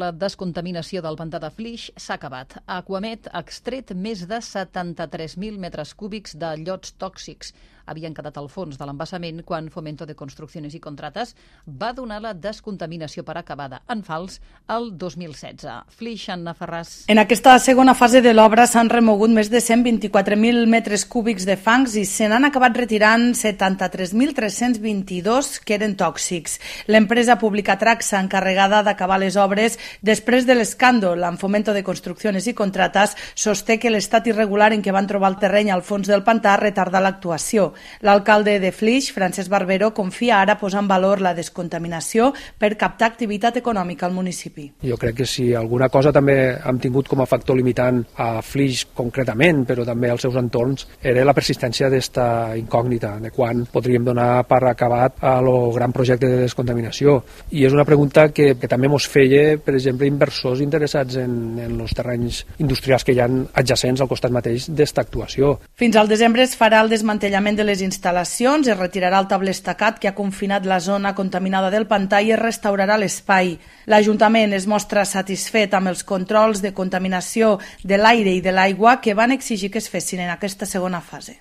La descontaminació del pantà de Flix s'ha acabat. Aquamed ha extret més de 73.000 metres cúbics de llots tòxics. Havien quedat al fons de l'embassament quan Fomento de Construcciones y Contratas va donar la descontaminació per acabada en fals el 2016. Flix, Anna Ferràs. En aquesta segona fase de l'obra s'han remogut més de 124.000 metres cúbics de fangs i se n'han acabat retirant 73.322 que eren tòxics. L'empresa pública Traxa, encarregada d'acabar les obres després de l'escàndol amb Fomento de Construcciones y Contratas, sosté que l'estat irregular en què van trobar el terreny al fons del pantà retarda l'actuació. L'alcalde de Flix, Francesc Barbero, confia ara posar en valor la descontaminació per captar activitat econòmica al municipi. Jo crec que si alguna cosa també hem tingut com a factor limitant a Flix concretament, però també als seus entorns, era la persistència d'esta incògnita, de quan podríem donar per acabat el gran projecte de descontaminació. I és una pregunta que també ens feia, per exemple, inversors interessats en els terrenys industrials que hi ha adjacents al costat mateix d'esta actuació. Fins al desembre es farà el desmantellament de les instal·lacions, es retirarà el table estacat que ha confinat la zona contaminada del pantà i es restaurarà l'espai. L'Ajuntament es mostra satisfet amb els controls de contaminació de l'aire i de l'aigua que van exigir que es fessin en aquesta segona fase.